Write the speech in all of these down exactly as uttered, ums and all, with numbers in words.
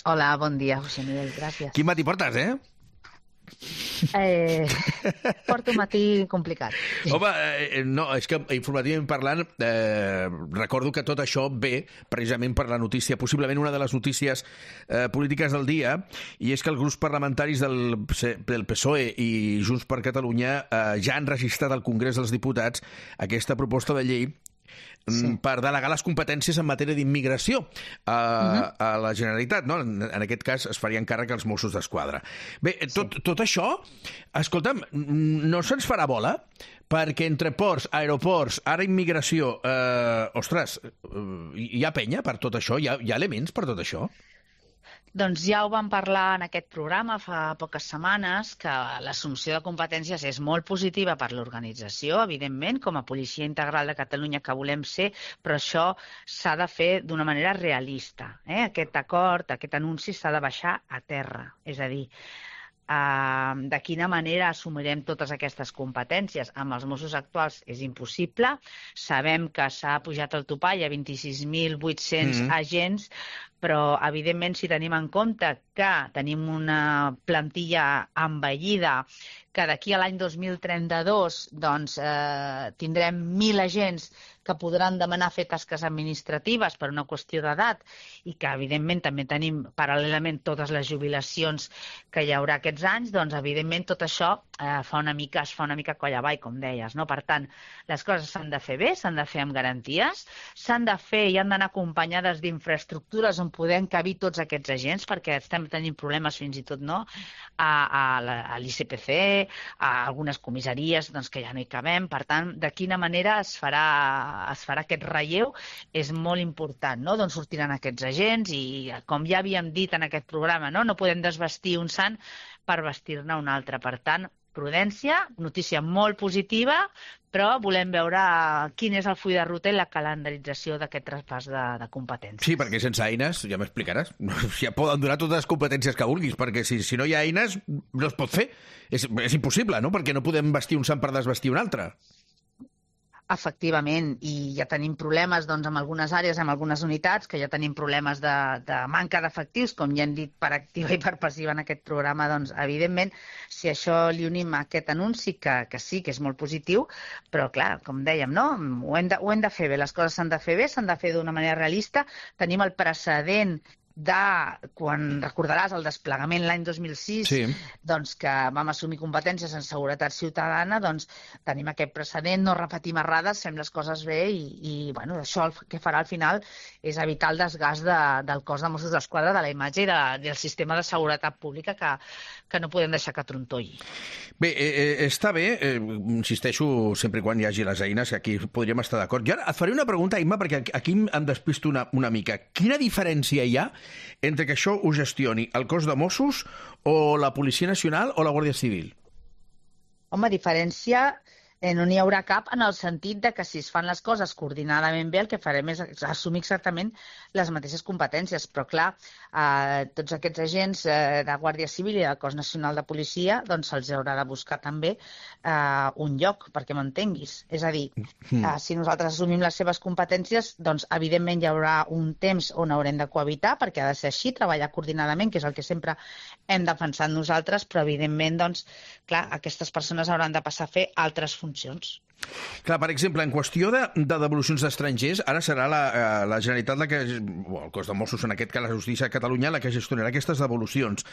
Hola, bon dia, José Miguel, gràcies. Quin matí portes, eh? Eh, porto un matí complicat. Home, eh, no, és que informativament parlant, eh, recordo que tot això ve precisament per la notícia, possiblement una de les notícies eh, polítiques del dia, i és que els grups parlamentaris del, del P S O E i Junts per Catalunya eh, ja han registrat al Congrés dels Diputats aquesta proposta de llei sí. per delegar les competències en matèria d'immigració a, uh-huh. a la Generalitat, no? En, en aquest cas es farien càrrec als Mossos d'Esquadra. Bé, tot, sí. tot això, escolta'm, no se'ns farà bola? Perquè entre ports, aeroports, ara immigració, eh, ostres, hi ha penya per tot això? Hi ha, hi ha elements per tot això? Doncs ja ho vam parlar en aquest programa fa poques setmanes, que l'assumpció de competències és molt positiva per l'organització, evidentment, com a policia integral de Catalunya que volem ser, però això s'ha de fer d'una manera realista. Eh? Aquest acord, aquest anunci s'ha de baixar a terra, és a dir, Uh, de quina manera assumirem totes aquestes competències. Amb els Mossos actuals és impossible. Sabem que s'ha pujat el topall a vint-i-sis mil vuit-cents mm-hmm. agents, però evidentment si tenim en compte que tenim una plantilla envellida, que d'aquí a l'any dos mil trenta-dos doncs, eh, tindrem mil agents que podran demanar fer tasques administratives per una qüestió d'edat i que, evidentment, també tenim paral·lelament totes les jubilacions que hi haurà aquests anys, doncs, evidentment, tot això eh, fa una mica, es fa una mica coll avall, com deies, no? Per tant, les coses s'han de fer bé, s'han de fer amb garanties, s'han de fer i han d'anar acompanyades d'infraestructures on podem cabir tots aquests agents, perquè estem tenint problemes fins i tot, no?, a, a, a l'I C P C, a algunes comissaries doncs, que ja no hi cabem. Per tant, de quina manera es farà es farà aquest relleu és molt important, no? D'on sortiran aquests agents i, com ja havíem dit en aquest programa, no, no podem desvestir un sant per vestir-ne un altre. Per tant, prudència, notícia molt positiva, però volem veure quin és el full de ruta i la calendarització d'aquest traspàs de, de competències. Sí, perquè sense eines, ja m'explicaràs, ja poden donar totes les competències que vulguis, perquè si, si no hi ha eines no es pot fer. És, és impossible, no? Perquè no podem vestir un sant per desvestir un altre. Efectivament, i ja tenim problemes doncs, en algunes àrees, en algunes unitats, que ja tenim problemes de, de manca d'efectius, com ja hem dit per activa i per passiva en aquest programa, doncs, evidentment, si això li unim a aquest anunci, que, que sí, que és molt positiu, però, clar, com dèiem, no? Ho hem de, ho hem de fer bé, les coses s'han de fer bé, s'han de fer d'una manera realista. Tenim el precedent de, quan recordaràs, el desplegament l'any dos mil sis, sí. doncs que vam assumir competències en seguretat ciutadana, doncs tenim aquest precedent, no repetim errades, fem les coses bé i, i bueno, això el que farà al final és evitar el desgast de, del cos de Mossos d'Esquadra, de la imatge i de, del sistema de seguretat pública que, que no podem deixar que trontolli. Bé, eh, està bé, eh, insisteixo, sempre i quan hi hagi les eines, que aquí podríem estar d'acord. Jo ara et faré una pregunta, Imma, perquè aquí em despisto una, una mica. Quina diferència hi ha entre que això ho gestioni el cos de Mossos o la Policia Nacional o la Guàrdia Civil? Home, diferència eh, no n'hi haurà cap, en el sentit de que si es fan les coses coordinadament bé, el que farem és assumir exactament les mateixes competències. Però, clar, eh, tots aquests agents eh, de Guàrdia Civil i del Cos Nacional de Policia doncs se'ls haurà de buscar també eh, un lloc, perquè m'entenguis. És a dir, eh, si nosaltres assumim les seves competències, doncs evidentment hi haurà un temps on haurem de cohabitar, perquè ha de ser així, treballar coordinadament, que és el que sempre hem defensat nosaltres, però evidentment, doncs, clar, aquestes persones hauran de passar a fer altres funcions. Clar, per exemple, en qüestió de, de devolucions d'estrangers, ara serà la, la Generalitat, la que, o el cos de Mossos, en aquest cas la Justícia de Catalunya, la que gestionarà aquestes devolucions.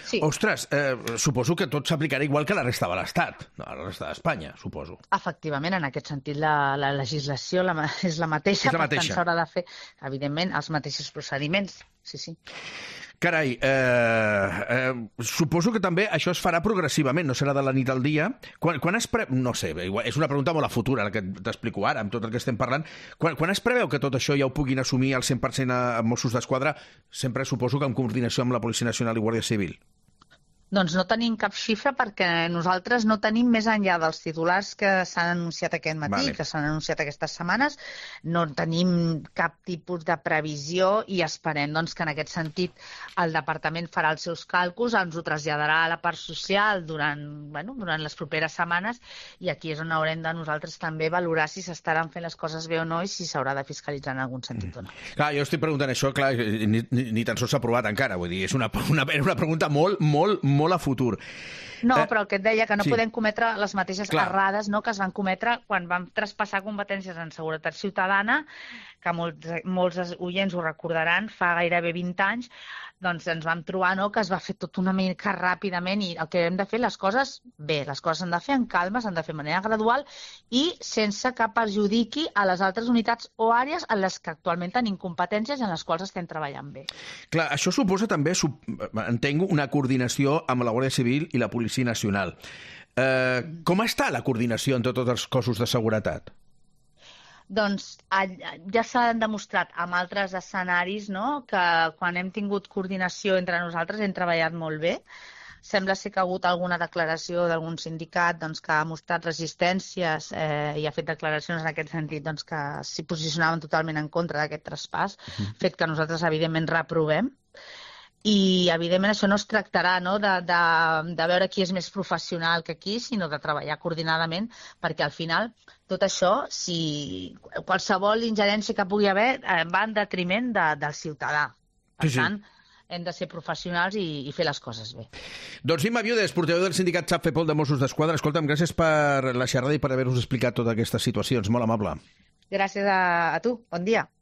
Sí. Ostres, eh, suposo que tot s'aplicarà igual que la resta de l'Estat, no, la resta d'Espanya, suposo. Efectivament, en aquest sentit, la, la legislació la, és la mateixa, és la mateixa. Per tant s'haurà de fer, evidentment, els mateixos procediments. Sí, sí. Carai, eh, eh, suposo que també això es farà progressivament, no serà de la nit al dia. Quan, quan es pre... No sé, és una pregunta molt a futura, la que t'explico ara, amb tot el que estem parlant. Quan, quan es preveu que tot això ja ho puguin assumir al cent per cent a Mossos d'Esquadra, sempre suposo que en coordinació amb la Policia Nacional i Guàrdia Civil? Doncs no tenim cap xifra perquè nosaltres no tenim més enllà dels titulars que s'han anunciat aquest matí, vale. que s'han anunciat aquestes setmanes, no tenim cap tipus de previsió i esperem doncs, que en aquest sentit el departament farà els seus càlculs, ens ho traslladarà a la part social durant, bueno, durant les properes setmanes i aquí és on haurem de nosaltres també valorar si s'estaran fent les coses bé o no i si s'haurà de fiscalitzar en algun sentit o no. Clar, jo estic preguntant això, clar, ni, ni, ni tan sols s'ha aprovat encara, vull dir, és una, una, una pregunta molt, molt, molt molt a futur. No, eh, però el que et deia, que no sí. podem cometre les mateixes Clar. errades no, que es van cometre quan vam traspassar competències en seguretat ciutadana, que molts, molts oients ho recordaran, fa gairebé vint anys, doncs ens vam trobar no, que es va fer tot una mica ràpidament i el que hem de fer, les coses bé, les coses s'han de fer en calma, s'han de fer de manera gradual i sense que perjudiqui a les altres unitats o àrees en les que actualment tenim competències i en les quals estem treballant bé. Clar, això suposa també, entenc, una coordinació amb la Guàrdia Civil i la Policia Nacional. Eh, com està la coordinació entre tots els cossos de seguretat? Doncs ja s'han demostrat amb altres escenaris no, que quan hem tingut coordinació entre nosaltres hem treballat molt bé. Sembla ser que ha hagut alguna declaració d'algun sindicat doncs, que ha mostrat resistències eh, i ha fet declaracions en aquest sentit doncs, que s'hi posicionaven totalment en contra d'aquest traspàs, uh-huh. fet que nosaltres evidentment reprovem. I, evidentment, això no es tractarà no, de, de, de veure qui és més professional que qui, sinó de treballar coordinadament, perquè al final tot això, si qualsevol ingerència que pugui haver, eh, va en detriment de, del ciutadà. Per sí, sí. tant, hem de ser professionals i, i fer les coses bé. Doncs Imma Viudes, portaveu del sindicat Xap-Fepol de Mossos d'Esquadra. Escolta'm, gràcies per la xerrada i per haver-nos explicat totes aquestes situacions. Molt amable. Gràcies a, a tu. Bon dia.